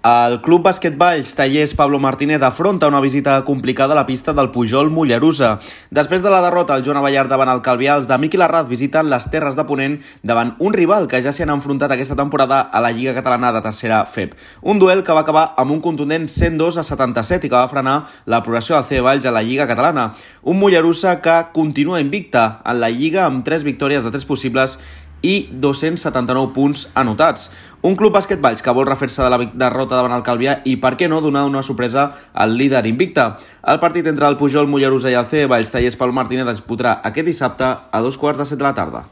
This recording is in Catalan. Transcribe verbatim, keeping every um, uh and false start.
El Club Bàsquet Valls Tallers Pablo Martínez afronta una visita complicada a la pista del Pujol Mollerussa. Després de la derrota al Joan Abellar davant el Calvià, els de Miqui Larraz visiten les Terres de Ponent davant un rival que ja s'hi han enfrontat aquesta temporada a la Lliga Catalana de Tercera F E P. Un duel que va acabar amb un contundent cent dos a setanta-set i que va frenar la progressió del C E Valls a la Lliga Catalana. Un Mollerussa que continua invicta en la Lliga amb tres victòries de tres possibles i dos-cents setanta-nou punts anotats. Un Club Bàsquet Valls que vol refer-se de la derrota davant el Calvià i, per què no, donar una sorpresa al líder invicte. El partit entre el Pujol Mollerussa i el C E Valls Tallers Pablo Martínez es disputarà aquest dissabte a dos quarts de set de la tarda.